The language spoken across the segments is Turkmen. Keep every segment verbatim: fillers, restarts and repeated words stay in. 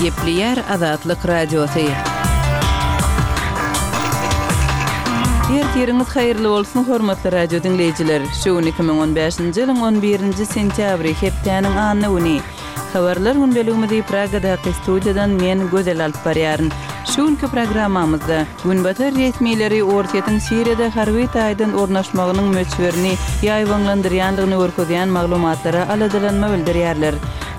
Gepleýär Azatlyk Radiosy. Ertiriňiz haýyrly bolsun, hormatly radio diňleýjiler! Şu gün iki müň on bäşinji ýylyň on birinji sentýabry, hepdäniň anna güni. Habarlar gündeligimizi Pragadaky studiýadan men, Gözel alyp barýaryn. Şu günki programmamyzda, Günbatar resmileri Orsýetiň Siriýada harby taýdan ornaşmagynyň möçberini ýaýbaňlandyrýandygyny görkezýän maglumatlara aladalanma bildirýärler.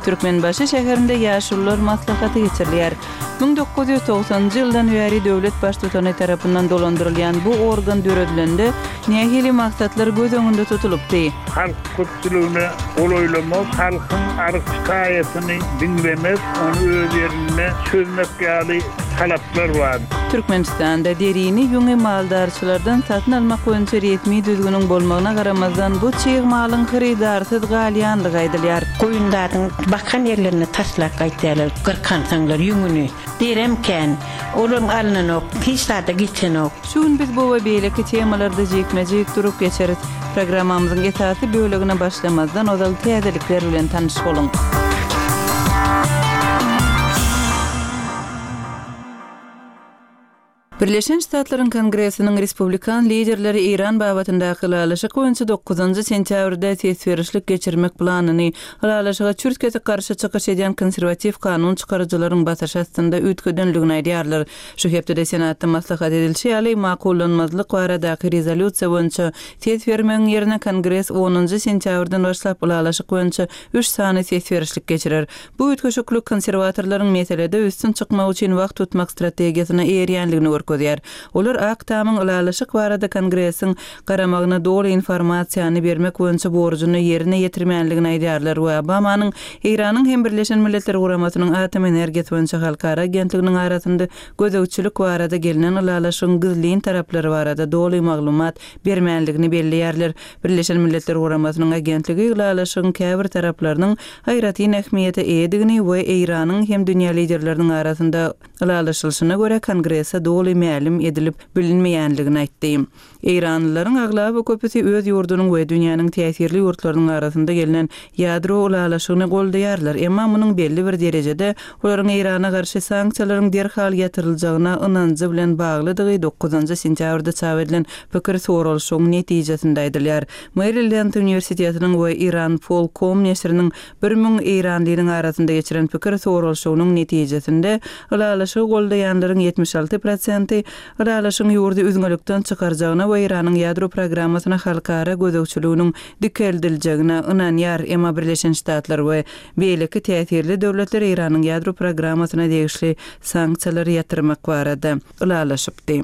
Türkmenbaşy şäherinde Ýaşulular maslahaty geçirilýär. Müň dokuz ýüz togsanynjy ýyldan bäri döwlet Baştutany tarapyndan dolandyrylýan bu organ döredilende nähili maksatlar göz öňünde tutulypdy? Halk köpçüligine golaýlamak, halkyň arz-şikaýatyny diňlemek, ony öz ýerinde çözmek ýaly talaplar bar. Türkmenistanda derini, ýüňi maldarçylardan satyn almak boýunça resmi düzgüniň bolmagyna garamazdan, bu çig malyň hyrydarsyz galýanlygy aýdylýar. Goýun zadyň bakan ýerlerine taslap gaýtýarlar, gyrkansaňlar ýüňüni. Derem kän, olam alnanok, hiç zada geçenok. Şu gün biz bu we beýleki temalarda jikme-jik durup geçeris. Programmamyzyň esasy bölegine başlamazdan ozal täzelikler bilen tanyş boluň. Birleşen Ştatlaryň Kongresiniň respublikan liderleri Eýran babatyndaky ylalaşyk boýunça dokuzynjy sentýabrda ses berişlik geçirmek planyny ylalaşyga çürt-kesik garşy çykyş edýän konserwatiw kanun çykaryjylaryň basyşy astynda üýtgedenligini aýdýarlar. Şu hepdede Senatda maslahat edilişi ýaly, makullanmazlyk baradaky rezolýusiýa boýunça ses bermegiň ýerine Kongres onunjy sentýabrdan başlap ylalaşyk boýunça üç sany ses berişlik geçirer. Bu üýtgeşiklik konserwatorlaryň meselede üstün çykmak üçin wagt tutmak strategiýasyna eýerýänligini görkezýär. Olar Ak Tamyň ylalaşyk barada Kongresiň garamagyna doly informasiýany bermek boýunça borjuny ýerine ýetirmänligini aýdýarlar we Obamanyň Eýranyň hem Birleşen Milletler Guramasynyň Atom energiýasy boýunça halkara agentliginiň arasynda gözegçilik barada gelnen ylalaşygyň gizlin taraplary barada doly maglumat bermänligini belleýärler. Birleşen Milletler Guramasynyň agentligi ylalaşygyň käbir taraplarynyň aýratyn ähmiýete eýedigini we Eýranyň hem dünýä liderleriniň arasynda ylalaşylyşyna görä Kongrese doly mälim edilip bilinmeýänligini aýtdy. Eýranlylaryň aglaba köpüsi öz ýurdunyň we dünýäniň täsirli ýurtlarynyň arasynda gelnen ýadro ylalaşygyny goldaýarlar, emma munuň belli bir derejede olaryň Eýrana garşy sanksiýalaryň derhal ýatyryljagyna ynanjy bilen baglydygy dokuzynjy sentýabrda çap edilen pikir soralyşygyň netijesinde aýdylýar. Maryland Uniwersitetiniň we Iran Polkom neşiriniň bir müň eýranlynyň arasynda geçiren pikir soralyşygynyň netijesinde ylalaşygy goldaýanlaryň ýetmiş alty prosenti ylalaşygyň ýurdy üzňelikden çykarjagyna we Eýranyň ýadro programmasyna halkara gözegçiliginiň dikeldiljegine ynanýar. Emma Birleşen Ştatlar we beýleki täsirli döwletler Eýranyň ýadro programmasyna degişli sanksiýalary ýatyrmak barada ylalaşypdy.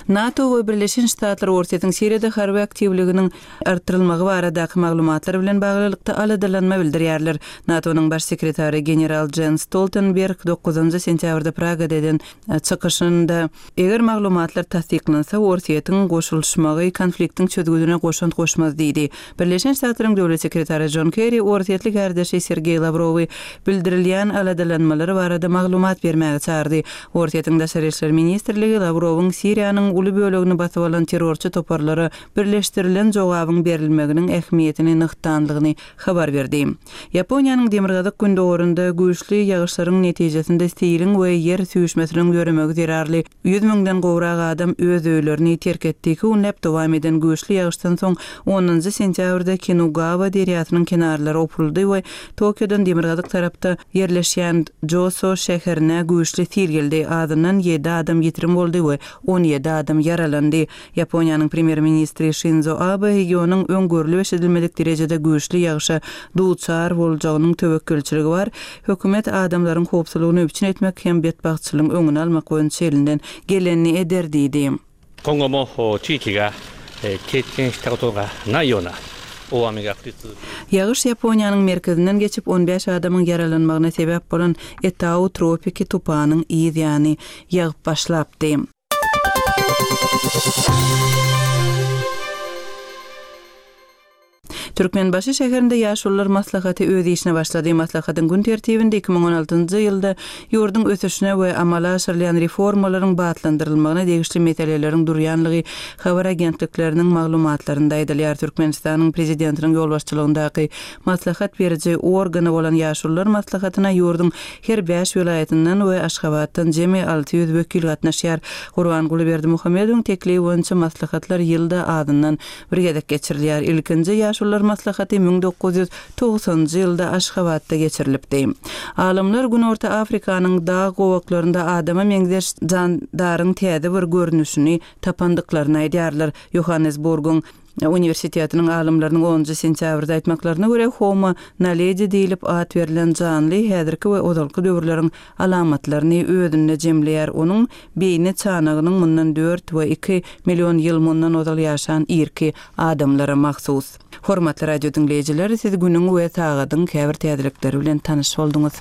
NATO we Birleşen Ştatlar Orsýetiň Siriýada harby aktiwliginiň artdyrylmagy baradaky maglumatlar bilen baglylykda aladalanma bildirýärler. NATO-nyň baş sekretary general Jens Stoltenberg dokuzynjy sentýabrda Pragada eden çykyşynda eger maglumatlar tassyklansa, Orsýetiň goşulyşmagy konfliktiň çözgüdine goşant goşmaz diýdi. Birleşen Ştatlaryň döwlet sekretary John Kerry Orsýetli kardeşi Sergeý Lawrowy bildirilýän aladalanmalary barada maglumat bermäge çağırdy. Orsýetiň Daşary işler ministrligi Lawrowyň Siriýanyň uly bölegini basyp alan terrorçy toparlara birleşdirilen jogabyň berilmeginiň ähmiýetini nygtanlygyny habar berdi. Ýaponiýanyň demirgazyk gündogorunda güýçli ýagyşlaryň netijesinde siliň we ýer süýşmesiniň ýöremegi zerarly ýüz müňden gowrak adam öz öýlerini terk etdi. Iki günläp dowam eden güýçli ýagyşdan soň onunjy sentýabrda Kinugawa derýasynyň kenarlary opuldy we Tokiodan demirgazyk tarapda ýerleşýän Joso şäherine güýçli sil geldi. Azyndan ýedi adam ýitirim boldy we on ýedi adam ýaralandy. Ýaponiýanyň premýer-ministri Şinzo Abe regionyň öň görlüp eşidilmedik derejede güýçli ýagyşa duçar boljagynyň töwekgelçiligi bar. Hökümet adamlaryň howpsuzlygyny üpjün etmek hem betbagtçylygyň öňüni almak boýunça elinden gelenini eder diýdi. Kongo mo çiýki ga keýken şita goto ga naý ýona oami ga furitsu. Ýagyş Ýaponiýanyň merkezinden geçip on bäş adamyň ýaralanmagyna sebäp bolan Etau tropiki tupanyň yz ýany ýagyp başlapdy. Türkmenbaşy şäherinde Ýaşulular maslahaty öz işine başlady. Maslahatyň gün tertibinde iki müň on altynjy ýylda ýurduň ösüşine we amala aşyrylýan reformalaryň batlandyrylmagyna degişli meseleleriň durýanlygy habar agentlikleriniň maglumatlarynda aýdylýar. Türkmenistanyň Prezidentiniň ýolbaşçylygyndaky maslahat beriji organy bolan Ýaşulular maslahatyna ýurduň her bäş welaýatyndan we Aşgabatdan jemi alty ýüz wekil gatnaşýar. Gurbanguly Berdimuhamedowyň teklibi boýunça maslahatlar ýylda azyndan bir gezek geçirilýär. Ilkinji Ýaşulular maslahaty müň dokuz ýüz togsanjy ýylda Aşgabatda geçirilipdi. Alymlar Günorta Afrikanyň dag gowaklarynda adama meňzeş jandaryň täze bir görnüşini tapandyklaryny aýdýarlar. Johannesburgyň uniwersitetiniň alymlarynyň onunjy sentýabrda aýtmaklaryna görä, Homo naledi diýlip at berlen janly häzirki we ozalky döwürleriň alamatlaryny özünde jemleýär. Onuň beýni çanagynyň mundan dört we iki million ýyl mundan ozal ýaşan irki adamlara mahsus. Hormatly radio diňleýjiler, siz günüň we sagadyň käbir täzelikleri bilen tanyş bolduňyz.